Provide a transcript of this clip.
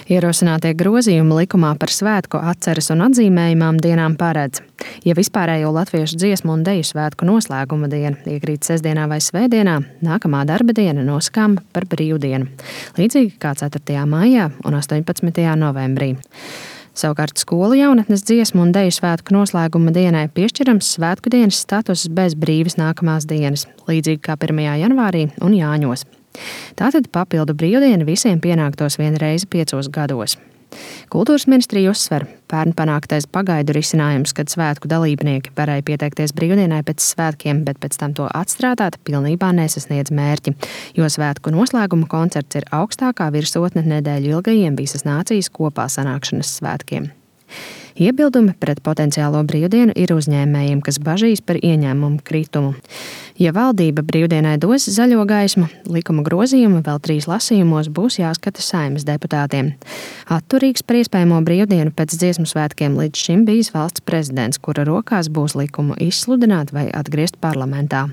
Ierosinātie grozījumi likumā par svētku atceres un atzīmējumām dienām paredz, ja vispārējo latviešu dziesmu un deju svētku noslēguma diena iekrīt sestdienā vai svētdienā, nākamā darba diena nosakām par brīvdienu, līdzīgi kā 4. maijā un 18. novembrī. Savukārt skolu jaunatnes dziesmu un deju svētku noslēguma dienai piešķirams svētku dienas status bez brīvas nākamās dienas, līdzīgi kā 1. janvārī un Jāņos. Tātad papildu brīvdiena visiem pienāktos vienreiz 5 gados. Kultūras ministrija uzsver, pērn panāktais pagaidu risinājums, kad svētku dalībnieki varēja pieteikties brīvdienai pēc svētkiem, bet pēc tam to atstrādāt, pilnībā nesasniedz mērķi, jo svētku noslēguma koncerts ir augstākā virsotne nedēļu ilgajiem visas nācijas kopā sanākšanas svētkiem. Iebildumi pret potenciālo brīvdienu ir uzņēmējiem, kas bažīs par ieņēmumu kritumu. Ja valdība brīvdienai dos zaļo gaismu, likuma grozījumi vēl 3 lasījumos būs jāskata Saeimas deputātiem. Atturīgs par iespējamo brīvdienu pēc dziesmu svētkiem līdz šim bijis valsts prezidents, kura rokās būs likumu izsludināt vai atgriezt parlamentā.